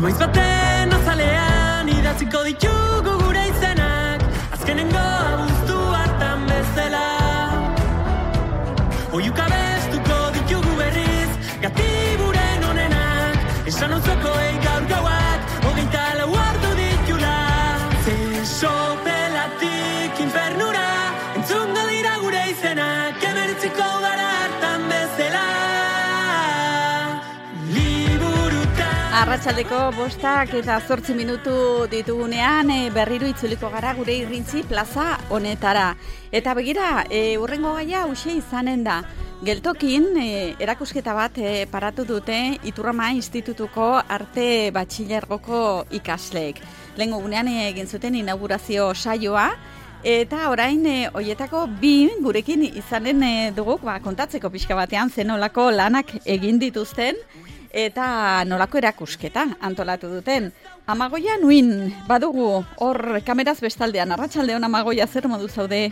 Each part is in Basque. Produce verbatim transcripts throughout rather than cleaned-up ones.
Maiz baten azalean idatziko ditugu gure izenak, azkenengo abuztu hartan bezala. Oiuka bestuko ditugu berriz, gatiburen onenak, esan auzokoei gaur gauak, hogeita lau ordu ditula. Ze sopelatik infernura, entzungo dira gure izenak, emertziko gara hartan bezala. Arratsaldeko bostak eta zortzi minutu ditugunean e, berriro itzuliko gara gure irrintzi plaza honetara. Eta begira, e, urrengo gaia hauxe izanen da. Geltokin e, erakusketa bat e, paratu dute Iturrama Institutuko arte batxilergoko ikasleek. Lehengo gunean egin zuten inaugurazio saioa, eta orain e, hoietako bi gurekin izanen e, dugu ba, kontatzeko pixka batean zenolako lanak egin dituzten, eta nolako erakusketa antolatu duten. Amagoia nuin, badugu, hor kameraz bestaldean, arratsaldeon Amagoia, zer modu zaude?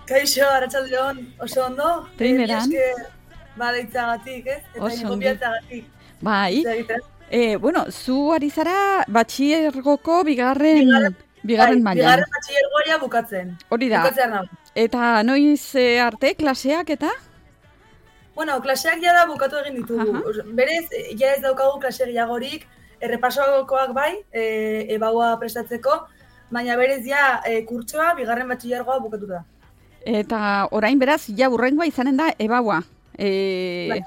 Kaixo, arratsaldeon, oso ondo. Primeran. Badeitzagatik, ez? Eta ingobiatzagatik. Bai. E, bueno, zu ari zara batxilergoko bigarren, bigarren, bigarren mailan. Bigarren batxilergoa bukatzen. Hori da. Eta noiz arte klaseak eta? Bueno, klaseak ja da bukatu egin ditugu. Uh-huh. Berez, ja ez daukagu klase gehiagorik, errepasoakoak bai, e, ebaua prestatzeko, baina berez ja e, kurtsoa, bigarren batxilergoa bukatu da. Eta orain beraz, ja urrengoa izanen da ebaua. E, bai.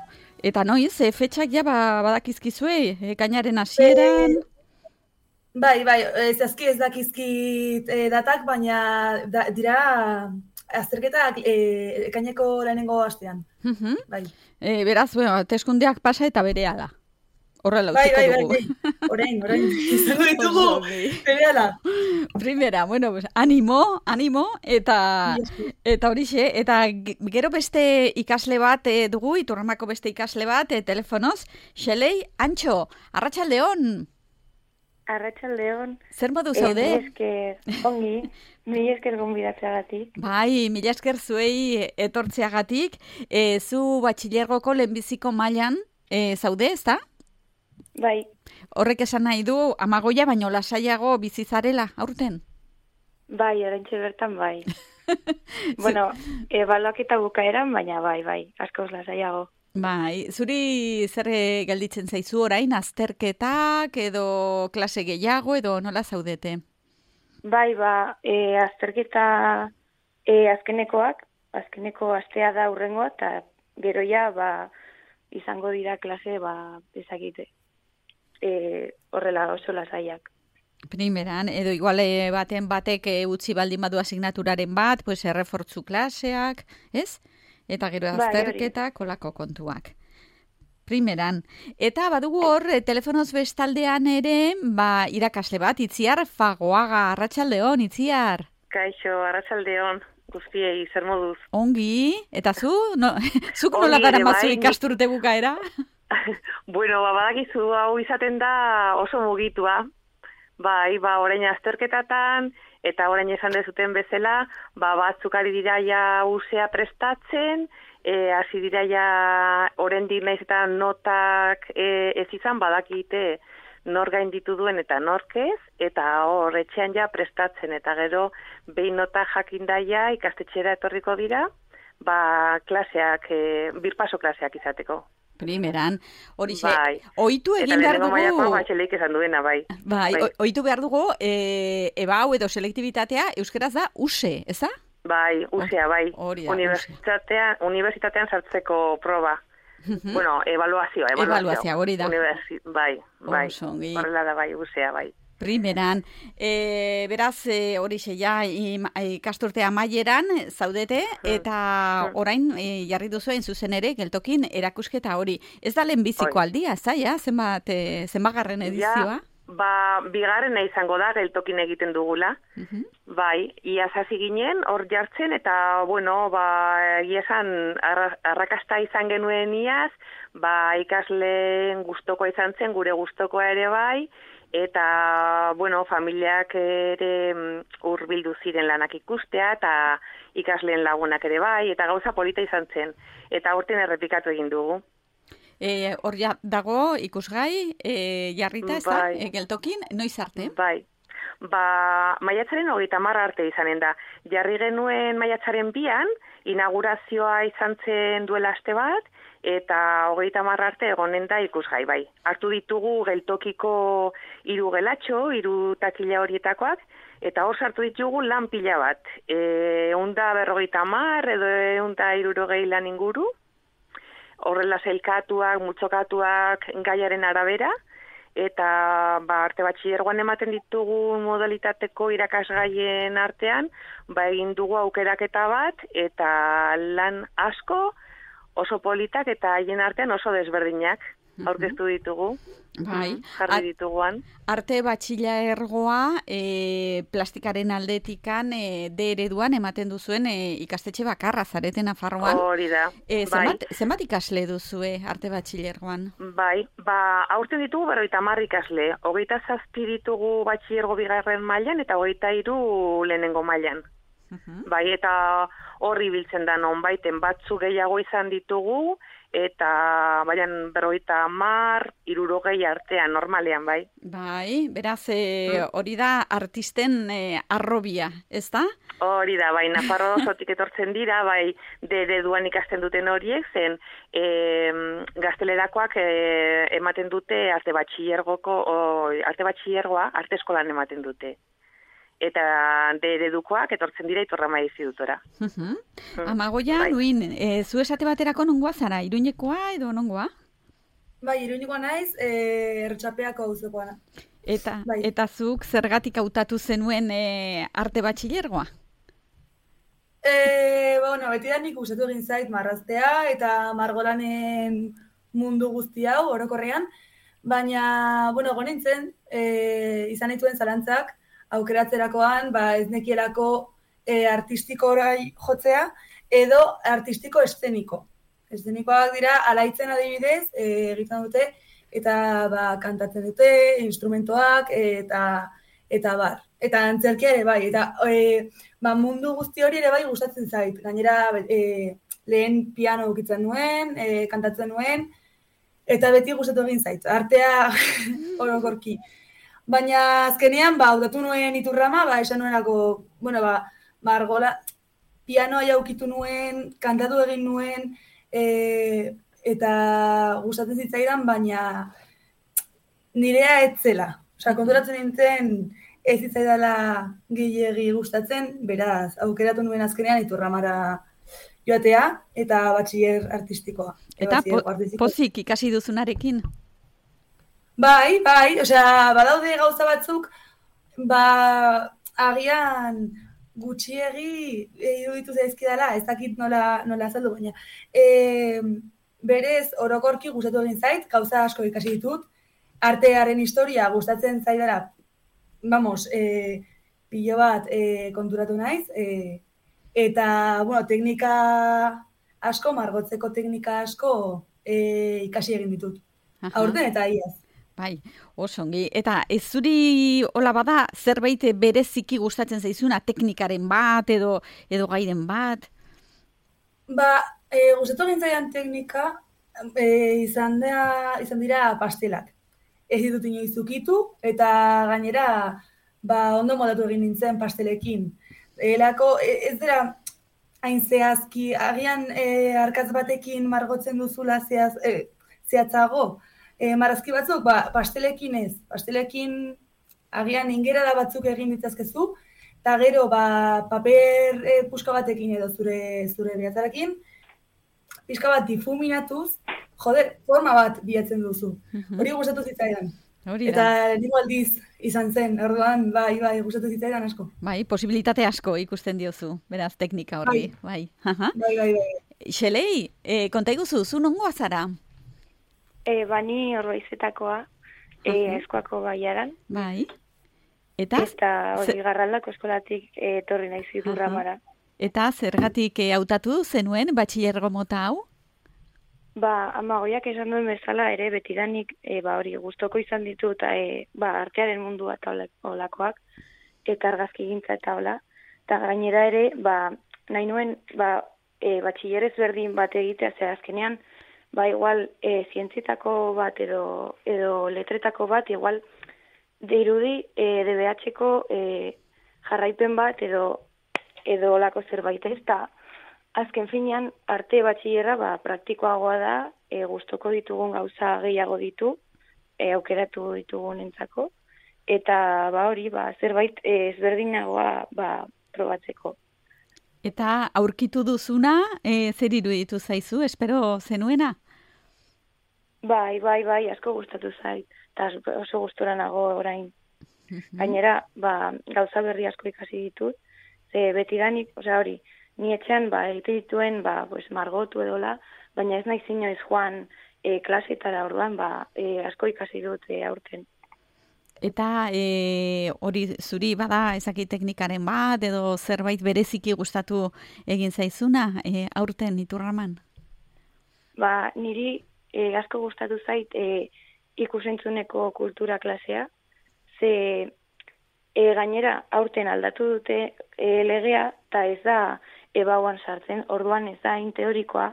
Eta noiz, e, fetxak ja badakizkizue, e, kainaren hasieran... E, bai, bai, ez azki ez dakizkit e, datak, baina da, dira... azterketak e, ekaineko lehenengo astean. Uh-huh. Bai. E, beraz, bueno, teskundeak pasa eta berehala. Horrela bai, utziko bai, dugu. Bai, bai, orain, orain. Izango ditugu berehala. Primera, bueno, pues, animo, animo, eta eta horixe, eta gero beste ikasle bat e, dugu, Iturramako beste ikasle bat, e, telefonoz, Xelei Antxo, arratsaldeon. Arratsaldeon. Zer modu zaude? Eh, esker, ongi, mila esker gonbidatzeagatik. Bai, mila esker zuei etortzeagatik. E, zu batxilergoko lehenbiziko mailan e, zaude, ezta? Bai. Horrek esan nahi du, Amagoia baino lasaiago bizizarela, aurten? Bai, oraintxe bertan bai. Bueno, ebaluaketa bukaeran, baina bai, bai, askoz lasaiago. Bai, zuri zer gelditzen zaizu orain, azterketak edo klase gehiago edo nola zaudete? Bai, ba, e, azterketa e, azkenekoak, azkeneko astea da urrengoa, eta gero ja, ba, izango dira klase, ba, ezakite, e, horrela oso lasaiak. Primeran, edo igual baten batek e, utzi baldin badu asignaturaren bat, pues errefortzu klaseak, ez? Eta gero azterketak, kolako kontuak. Primeran. Eta badugu hor, telefonoz bestaldean ere, ba, irakasle bat, Itziar Fagoaga, arratsaldeon, Itziar. Kaixo, arratsaldeon, guztiei, zer moduz. Ongi, eta zu? No, zuk nola gara matzu ikasturte bukaera? Bueno, ba, badakizu hau izaten da oso mugitua. Bai, ba, orain azterketatan, eta orain esan dezuten bezala, ba, batzuk ari dira ja usea prestatzen, e, hasi dira ja oraindik naiz eta notak e, ez izan badakite nor gainditu duen eta nork ez, eta hor etxean ja prestatzen, eta gero behin nota jakindaia ikastetxera etorriko dira, ba, klaseak, e, birpaso klaseak izateko. Primeran, hori xe, bai. Oitu egin behar dugu... Eta lehenengo maiako batxeleik esan duena, bai. Bai, bai. Oitu behar dugu, e, eba hau edo selektibitatea, euskeraz da, use, ez da? Bai, usea, bai. Hori da, Unibertsitatean, unibertsitatean sartzeko proba. Uh-huh. Bueno, evaluazioa, evaluazioa. Evaluazioa, hori da. Universi... Bai, bai. Horrela da, bai, usea, bai. Primeran, e, beraz, e, hori xe, ja, ikasturtea amaieran zaudete, eta orain e, jarri duzuen zuzen ere, geltokin erakusketa hori. Ez da lehenbiziko aldia, ez da, ja? Zenbat, e, zenbagarren edizioa? Ja, ba, bigarrena izango da, geltokin egiten dugula. Uh-huh. Bai, iaz hasi ginen, hor jartzen, eta, bueno, ba, esan arrakasta izan genuen iaz, ba, ikasleen gustokoa izan zen, gure gustokoa ere bai, eta, bueno, familiak ere hurbildu ziren lanak ikustea, eta ikasleen lagunak ere bai, eta gauza polita izan zen. Eta aurten errepikatu egin dugu. E, hor ja dago ikusgai, e, jarrita, ez da, Bai. e, geltokin, noiz arte? Bai. Ba, maiatzaren hogeita hamar arte izanen da. Jarri genuen maiatzaren bian, inaugurazioa izan zen duela aste bat, eta hogeita hamar arte egonen da ikusgai, bai. Hartu ditugu geltokiko hiru gelatxo, hiru takila horietakoak, eta hor sartu ditugu lan pila bat. E, eunda berrogeita hamar edo eunda hirurogei lan inguru, horrela sailkatuak, multzokatuak gaiaren arabera, eta ba, arte batxilergoan ematen ditugu modalitateko irakasgaien artean, ba, egin dugu aukeraketa bat, eta lan asko, oso politak eta haien artean oso desberdinak aurkeztu ditugu. Bai. Jarri dituguan. Arte batxilergoa e, plastikaren aldetikan e, D ereduan ematen duzuen e, ikastetxe bakarra zareten Nafarroan. Hori da. E, bai. zenbat, zenbat ikasle duzue arte batxilergoan? Bai, ba, aurten ditugu berrogeita hamar ikasle. Hogeita zazpi ditugu batxilergo bigarren mailan eta hogeita hiru lehenengo mailan. Uh-huh. Bai, eta horri biltzen da nonbaiten batzu gehiago izan ditugu, eta baian berrogeita hamar, hirurogei artean, normalean, bai. Bai, beraz, e, hori da artisten e, arrobia, ez da? Hori da, bai, Nafarro osotik etortzen dira, bai, de ereduan ikasten duten horiek, zen e, gaztelerakoak e, ematen dute arte batxilergoko, o, arte batxilergoa, arte eskolan ematen dute. Eta de eredukoak etortzen dira Iturrama Institutora. Uh-huh. Amagoia, bai. Luin, e, zu esate baterako nongoa zara, Iruñekoa edo nongoa? Bai, Iruñekoa naiz, e, Ertxapeako auzokoa. Eta, bai. eta zuk zergatik hautatu zenuen e, arte batxilergoa? E, bueno, beti da nik gustatu egin zait marraztea eta margolanen mundu guzti hau orokorrean, baina, bueno, egon nintzen, e, izan dituen zalantzak, aukeratzerakoan, ba, ez nekielako e, artistiko orai jotzea, edo artistiko eszeniko. Eszenikoak dira, alaitzen adibidez, e, egiten dute, eta ba, kantatzen dute, instrumentoak, eta eta bar. Eta antzerkia ere bai, eta e, ba, mundu guzti hori ere bai gustatzen zait. Gainera, e, lehen piano ukitzen nuen, e, kantatzen nuen, eta beti gustatu egin zait. Artea orokorki. Baina azkenean, ba, hautatu nuen Iturrama, ba, esan nuenako, bueno, ba, margola, pianoa jaukitu nuen, kantatu egin nuen, e, eta gustatzen zitzaidan, baina nirea etzela. Osa, konturatzen nintzen ez zitzaidala gehiegi gustatzen, beraz, aukeratu nuen azkenean Iturramara joatea, eta batxiler artistikoa. Eta po, pozik ikasi duzunarekin? Bai, bai, osea, badaude gauza batzuk, ba, agian gutxiegi iruditu zaizkidala, ez dakit nola, nola azaldu, baina. E, berez, orokorki gustatu egin zait, gauza asko ikasi ditut, artearen historia gustatzen zaidala, vamos, e, pilo bat e, konturatu naiz, e, eta, bueno, teknika asko, margotzeko teknika asko e, ikasi egin ditut. Aha. Aurten eta iaz. Bai, oso ongi. Eta ez zuri hola bada zerbait bereziki gustatzen zaizuna teknikaren bat edo edo gairen bat? Ba, e, gustatu egin zaidan teknika e, izan, da, izan dira pastelak. Ez ditut inoiz ukitu eta gainera ba, ondo modatu egin nintzen pastelekin. Elako, ez dira hain zehazki, agian e, arkatz batekin margotzen duzula zehaz, e, zehatzago, E, marrazki batzuk, ba, pastelekin ez. Pastelekin agian ingerada batzuk egin ditzazkezu, eta gero ba, paper e, puska batekin edo zure zure behatzarekin, pixka bat difuminatuz, joder, forma bat bilatzen duzu. Hori gustatu zitzaidan. Hori da. Eta nigo aldiz izan zen, orduan, bai, bai, gustatu zitzaidan asko. Bai, posibilitate asko ikusten diozu, beraz, teknika horri. Bai, bai, bai. bai, bai. Xelei, e, konta iguzu, zu nongoa zara? E, bani Orbaizetakoa, e, eskoako baiaran. Bai. Eta? Eta hori garraldako eskolatik etorri naiz Iturramara. Eta zergatik hautatu zenuen batxilergo mota hau? Ba, amagoiak esan duen bezala ere betidanik e, ba, hori gustoko izan ditu eta e, ba, artearen mundua eta olakoak, eta argazki gintza eta hola. Eta gainera ere, ba, nahi nuen ba, e, batxilerez berdin bat egitea, ze azkenean, ba igual e, zientzitako bat edo edo letretako bat igual dirudi e, D B H-ko e, jarraipen bat edo edo olako zerbait ez da. Azken finean, arte batxillerra ba, praktikoagoa da, e, gustoko ditugun gauza gehiago ditu, e, aukeratu ditugun entzako, eta ba hori, ba, zerbait e, ezberdinagoa ba, probatzeko. Eta aurkitu duzuna, e, zer iruditu zaizu, espero zenuena? Bai, bai, bai, asko gustatu zait, eta oso gustora nago orain. Gainera, ba, gauza berri asko ikasi ditut, ze betidanik, osea hori, ni etxean ba, egite dituen ba, pues, margotu edola, baina ez nahi inoiz joan e, klasetara orduan, ba, e, asko ikasi dut e, aurten. Eta e, hori zuri bada ezaki teknikaren bat edo zerbait bereziki gustatu egin zaizuna e, aurten Iturraman? Ba, niri e, asko gustatu zait e, ikusentzuneko kultura klasea, ze e, gainera aurten aldatu dute e, legea eta ez da ebauan sartzen, orduan ez da hain teorikoa,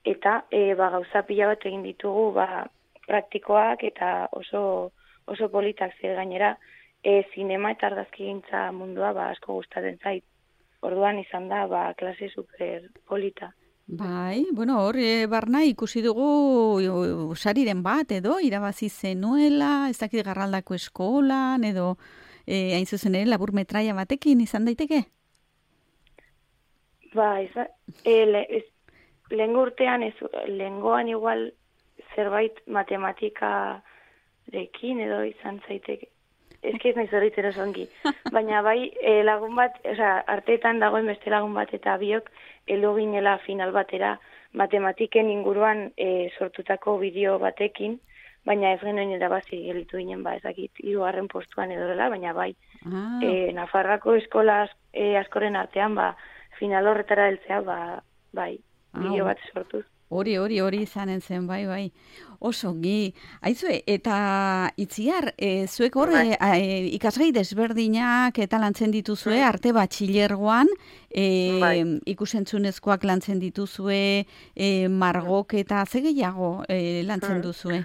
eta e, ba, gauza pila bat egin ditugu ba, praktikoak eta oso oso politak ze gainera e, zinema eta argazkigintza mundua ba, asko gustatzen zait. Orduan izan da ba, klase super polita. Bai, bueno, hor e, barna ikusi dugu sariren bat edo irabazi zenuela, ez dakit Garraldako eskolan edo e, hain zuzen ere labur metraia batekin izan daiteke? Ba, ez, e, le, ez, lehengo urtean, ez, lehengoan igual zerbait matematika dekin edo izan zaiteke. Ez ki ez nahi zorritzen oso ongi. Baina bai, e, lagun bat, oza, arteetan dagoen beste lagun bat eta biok elu ginela final batera matematiken inguruan e, sortutako bideo batekin, baina ez genuen irabazi gelitu ginen, ba, ezakit, hirugarren postuan edorela, baina bai, Ah. e, Nafarrako eskola e, askoren artean, ba, final horretara heltzea, ba, bai, bideo bat sortuz. Hori, hori, hori izanen zen, bai, bai. Oso, gi. Aizue, eta Itziar, e, zuek hor, e, e, ikasgai desberdinak eta lantzen dituzue, arte batxilergoan, e, Bai. ikusentzunezkoak lantzen dituzue, e, margok eta ze gehiago e, lantzen duzue?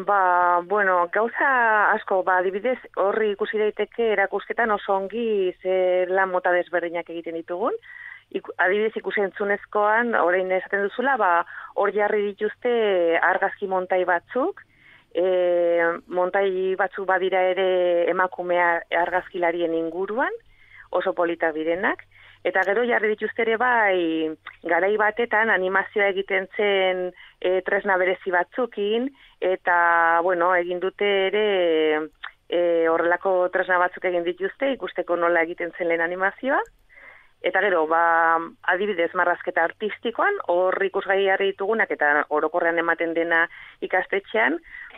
Ba, bueno, gauza asko, ba, adibidez, horri ikusi daiteke erakusketan oso ongi ze lan mota desberdinak egiten ditugun. Iku, adibidez ikusentzunezkoan, orain esaten duzula, ba, hor jarri dituzte argazki montai batzuk, e, montai batzuk badira ere emakumea argazkilarien inguruan, oso politak direnak, eta gero jarri dituzte ere bai, garai batetan animazioa egiten zen e, tresna berezi batzukin, eta, bueno, egin dute ere e, horrelako tresna batzuk egin dituzte, ikusteko nola egiten zen lehen animazioa. Eta gero, ba, adibidez marrazketa artistikoan, hor ikusgai jarri ditugunak eta orokorrean ematen dena ikastetxean,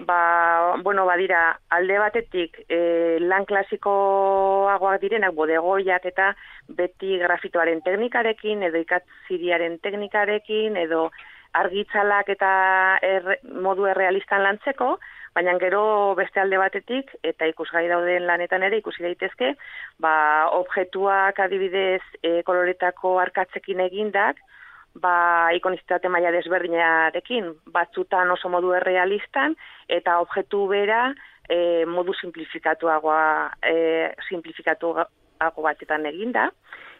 ba, bueno, badira alde batetik e, lan klasikoagoak direnak bodegoiak eta beti grafitoaren teknikarekin edo ikatziriaren teknikarekin edo argitzalak eta er, modu errealistan lantzeko, baina gero beste alde batetik, eta ikusgai dauden lanetan ere ikusi daitezke, ba, objektuak adibidez e, koloretako arkatzekin egindak, ba, ikonizitate maila desberdinarekin, batzutan oso modu errealistan, eta objektu bera e, modu simplifikatuagoa, e, simplifikatuago batetan eginda,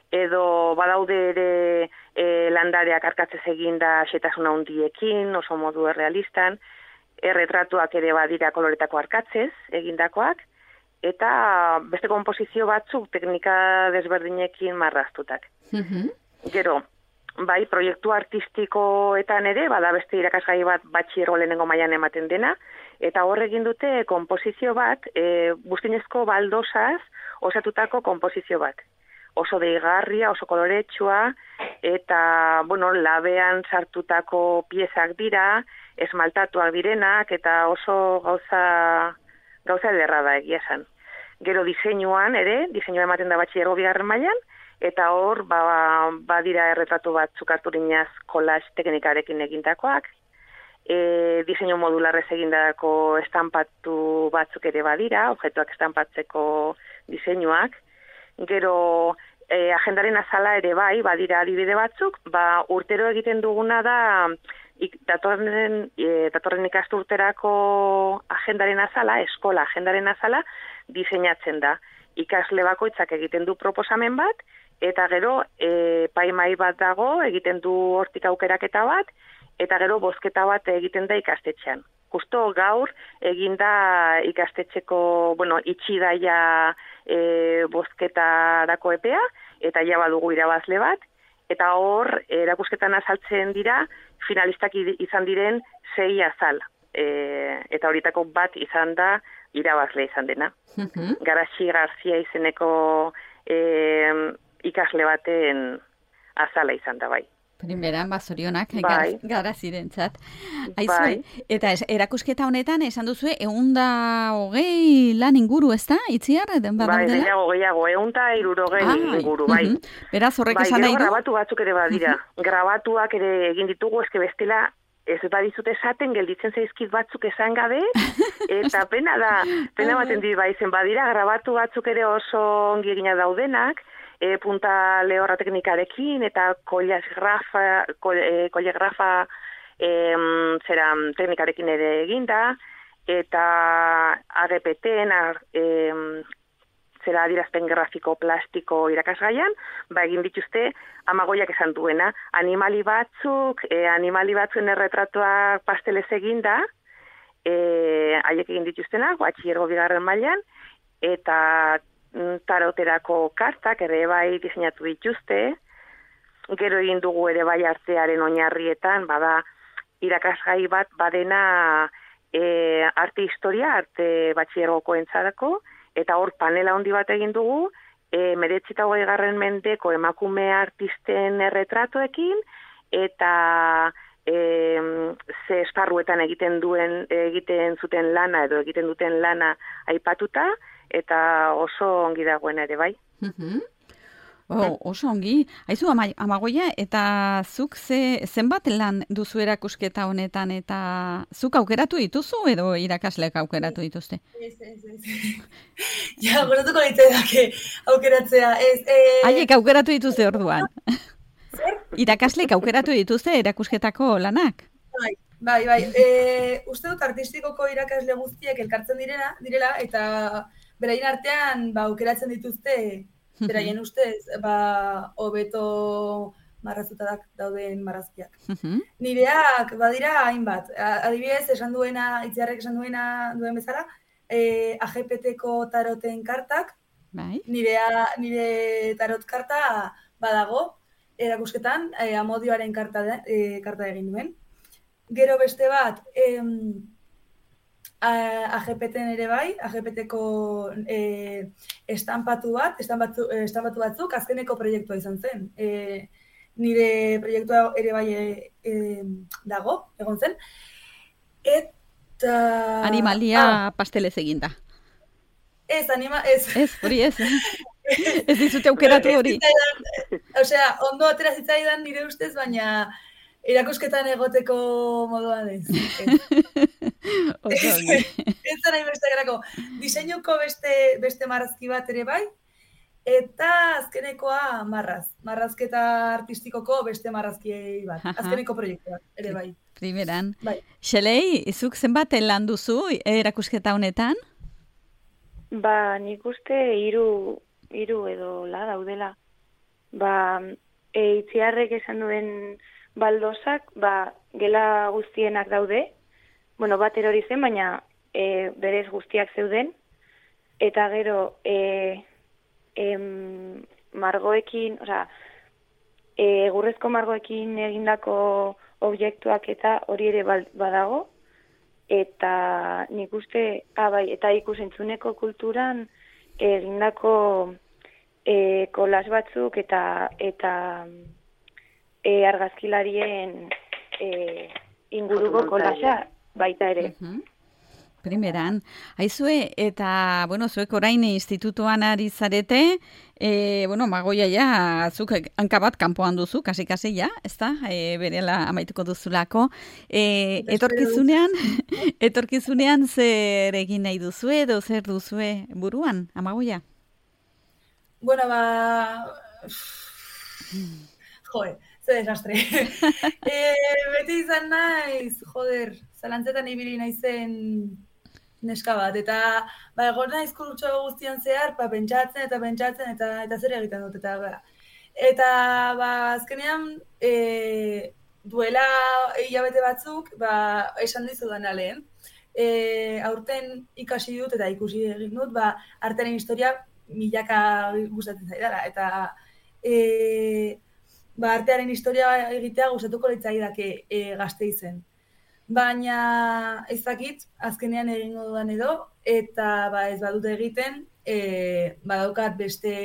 edo badaude ere e, landareak arkatzez eginda xetasuna handiekin, oso modu errealistan, erretratuak ere badira koloretako arkatzez egindakoak, eta beste konposizio batzuk teknika desberdinekin marraztutak. Mhm. Gero, bai, proiektu artistikoetan ere, bada beste irakasgai bat batxiergo lehenengo mailan ematen dena, eta hor egin dute konposizio bat, e, buztinezko baldosaz osatutako konposizio bat. Oso deigarria, oso koloretsua, eta, bueno, labean sartutako piezak dira, esmaltatuak direnak, eta oso gauza, gauza ederra da egia esan. Gero diseinuan ere, diseinua ematen da batxillergo bigarren mailan, eta hor, ba, badira erretratu batzuk harturinaz kolaz teknikarekin egindakoak, e, diseinu modularrez egindako estampatu batzuk ere badira, objektuak estampatzeko diseinuak. Gero e, agendaren azala ere bai, badira adibide batzuk, ba, urtero egiten duguna da ik, datorren, e, datorren ikasturterako agendaren azala, eskola agendaren azala, diseinatzen da. Ikasle bakoitzak egiten du proposamen bat, eta gero e, paimai bat dago, egiten du hortik aukeraketa bat, eta gero bozketa bat egiten da ikastetxean. Justo gaur eginda ikastetxeko, bueno, itxi daia e, bozketarako epea, eta ja badugu irabazle bat, eta hor erakusketan azaltzen dira finalistak izan diren sei azal. E, eta horitako bat izan da irabazle izan dena. Uh-huh. Garaxi Garzia izeneko e, ikasle baten azala izan da bai. Primeran, bazorionak, bai. Garazirentzat. Bai. Eta es, erakusketa honetan, esan duzue, eunda hogei lan inguru, ez da? Itziar? Bai, gehiago, gehiago, eunda irurogei ah, inguru, bai. Uh-huh. Beraz, horrek bai, esan nahi du? Grabatu batzuk ere badira. Uh-huh. Grabatuak ere egin ditugu, eske bestela ez badizut esaten, gelditzen zaizkit batzuk esan gabe, eta pena da, pena baten dit baizen badira, grabatu batzuk ere oso ongi egina daudenak, e, punta lehorra teknikarekin, eta kolegrafa, kolegrafa e, zera teknikarekin ere eginda, eta A G P T-en, e, zera adirazpen grafiko plastiko irakasgaian, ba egin dituzte Amagoiak esan duena, animali batzuk, e, animali batzuen erretratuak pastelez eginda, e, haiek egin dituztenak, batxillergo bigarren mailan, eta taroterako kartak ere bai diseinatu dituzte, gero egin dugu ere bai artearen oinarrietan, bada irakasgai bat badena e, arte historia, arte batxillergoko entzarako, eta hor panela handi bat egin dugu, e, meretzita hogei garren mendeko emakume artisten erretratoekin, eta e, ze esparruetan egiten duen egiten zuten lana edo egiten duten lana aipatuta, eta oso ongi dagoen ere bai. Uh-huh. Oh, oso ongi. Aizu, ama, Amagoia, eta zuk ze, zenbat lan duzu erakusketa honetan, eta zuk aukeratu dituzu edo irakasleak aukeratu dituzte? Ez, ez, ez. Ja, goratuko ditzedake aukeratzea. Ez, eh... Haiek aukeratu dituzte orduan. Zer? Irakasleek aukeratu dituzte erakusketako lanak? Bai, bai, bai. E, uste dut artistikoko irakasle guztiek elkartzen direna, direla, eta beraien artean ba, aukeratzen dituzte, beraien ustez, ba, hobeto marrazutak dauden marrazkiak. Uh-huh. Nireak badira hainbat. Adibidez, esan duena, Itziarrek esan duena duen bezala, e, A G P T-ko taroten kartak, bai. Nirea, nire tarot karta badago, erakusketan, e, Amodioaren karta, de, e, karta egin duen. Gero beste bat, em, A G P T-en ere bai, A G P T-ko e, estampatu bat, estampatu, estampatu batzuk, azkeneko proiektua izan zen. E, nire proiektua ere bai e, e, dago, egon zen. Eta... Animalia ah, pastelez eginda. Ez, anima... Ez, ez hori ez. Ez dizute aukeratu hori. Osea, ondo atera zitzaidan nire ustez, baina erakusketan egoteko moduan ez. Oso ongi. Ez da nahi beste gerako. Diseinuko beste, beste marrazki bat ere bai, eta azkenekoa marraz. Marrazketa artistikoko beste marrazki bat. Azkeneko proiektua ere bai. Primeran. Bai. Xelei, izuk zenbat lan duzu erakusketa honetan? Ba, nik uste hiru hiru edo la daudela. Ba, e, Itziarrek esan duen baldozak, ba, gela guztienak daude. Bueno, bat erori zen, baina e, berez guztiak zeuden. Eta gero, e, em, margoekin, osea, e, egurrezko margoekin egindako objektuak eta hori ere badago. Eta nik uste, ah, bai, eta ikusentzuneko kulturan egindako e, kolas batzuk eta eta e, argazkilarien e, inguruko kolasa baita ere. Uh-huh. Primeran. Aizue, eta, bueno, zuek orain institutuan ari zarete, e, bueno, Amagoia ja, zuk hankabat kanpoan duzu, kasi-kasi ja, ez da, e, berela amaituko duzulako. E, etorkizunean, etorkizunean zer egin nahi duzue, edo zer duzue buruan, Amagoia? Bueno, ba... Joe, ze desastre. e, beti izan naiz, joder, zalantzetan ibili naizen neska bat, eta ba, egon naiz kurtso guztian zehar, ba, pentsatzen eta pentsatzen, eta eta zer egiten dut, eta ba, eta ba, azkenean, e, duela hilabete batzuk, ba, esan dizudan lehen, e, aurten ikasi dut eta ikusi egin dut, ba, artearen historia milaka gustatzen zaidala, eta e, ba, artearen historia egitea gustatuko litzaidake e, Gasteizen. Baina ez dakit, azkenean egingo dudan edo, eta ba, ez badut egiten, e, badaukat beste,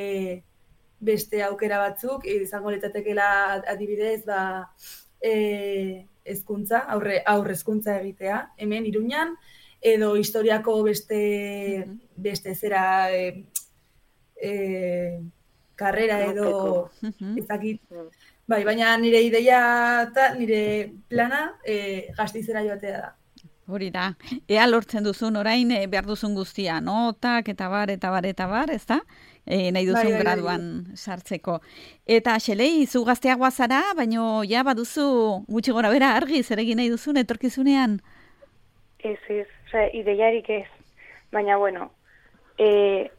beste aukera batzuk, izango litzatekeela adibidez, ba, e, hezkuntza, aurre, aurre hezkuntza egitea, hemen Iruñan, edo historiako beste, mm-hmm. beste zera e, e, karrera edo, mm-hmm. ez dakit, bai, baina nire ideia eta nire plana e, Gasteizera joatea da. Hori da. Ea lortzen duzun orain e, behar duzun guztia, notak eta bar, eta bar, eta bar, ez da? E, nahi duzun bai, bai, graduan bai. Sartzeko. Eta Xelei, zu gazteagoa zara, baino ja baduzu gutxi gora bera argi zer egin nahi duzun etorkizunean? Ez, ez, oza, ideiarik ez. Baina, bueno, e,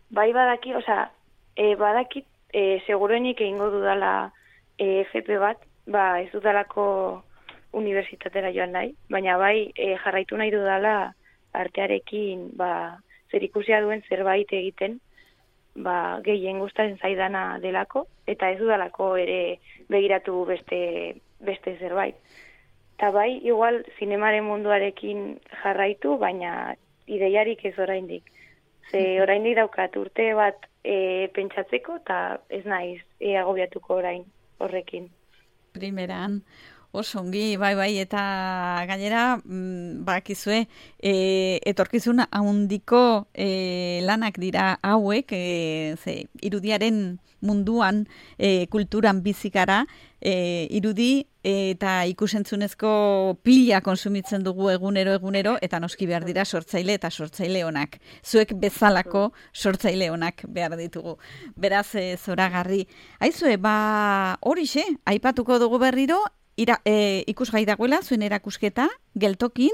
bai badaki, oza, e, badakit, e, seguruenik egingo dudala E, F P bat, ba, ez dudalako unibertsitatera joan nahi, baina bai e, jarraitu nahi dudala artearekin ba, zer ikusia duen zerbait egiten, ba, gehien gustatzen zaidana delako, eta ez dudalako ere begiratu beste, beste zerbait. Eta bai, igual, zinemaren munduarekin jarraitu, baina ideiarik ez oraindik. Ze oraindik daukat urte bat e, pentsatzeko, eta ez naiz e, agobiatuko orain. Horrekin. Primeran, oso ongi, bai, bai, eta gainera, mm, bakizue, e, etorkizun handiko e, lanak dira hauek, e, ze, irudiaren munduan, e, kulturan bizikara, e, irudi eta ikusentzunezko pila konsumitzen dugu egunero egunero, eta noski behar dira sortzaile eta sortzaile onak. Zuek bezalako sortzaile onak behar ditugu. Beraz, e, zoragarri. Aizue, ba, horixe, aipatuko dugu berriro, ira, e, ikusgai dagoela, zuen erakusketa, geltokin,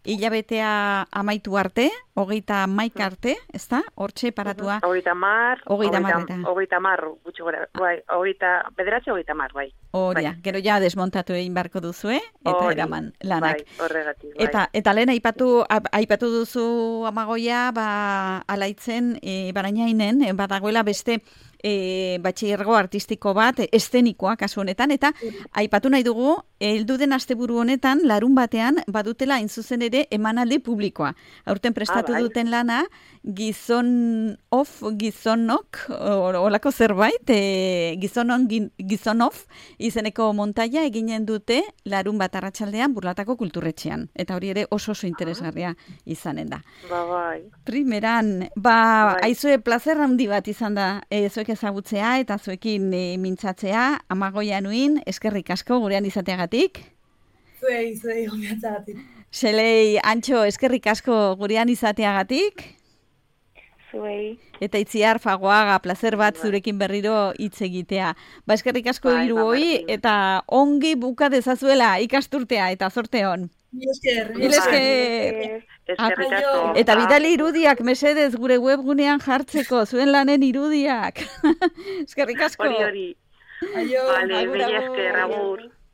hilabetea amaitu arte, hogeita maik arte, ez da? Hortxe paratua. Hogeita mar, hogeita mar, hogeita mar, gutxi gora, bai, hogeita, bederatzi hogeita mar, bai. Horia, bai. Gero ja desmontatu egin barko duzue, eta Ori, eraman lanak. Bai, horregatik, bai. Eta, eta lehen aipatu, aipatu duzu Amagoia, ba, alaitzen, e, barainainen, e, badagoela beste, E, batxillergo artistiko bat, eszenikoa kasu honetan, eta aipatu nahi dugu, heldu den asteburu honetan, larun batean, badutela hain zuzen ere emanaldi publikoa. Aurten prestatu ah, bai. duten lana, gizon of, gizonok, olako zerbait, e, gizonon, gizonof, izeneko montaia eginen dute larun bat arratsaldean Burlatako kulturretxean. Eta hori ere oso oso interesgarria izanen da. Ba, bai. Primeran, ba, bai. aizue plazer handi bat izan da, e, zuek ezagutzea eta zuekin e, mintzatzea, Amagoia nuin, eskerrik asko gurean izateagatik. Zuei, zuei, gomiatzagatik. Xelei, Antxo, eskerrik asko gurean izateagatik. Zuei. Eta Itziar Fagoaga, plazer bat zurekin berriro hitz egitea. Ba, eskerrik asko hiru hoi, eta ongi buka dezazuela ikasturtea, eta zorte hon. Mil esker. Mil esker. Eskerrik asko. Eta bidali irudiak, mesedez, gure webgunean jartzeko, zuen lanen irudiak. Eskerrik asko. Hori, hori. Aio. Vale, mila esker, agur.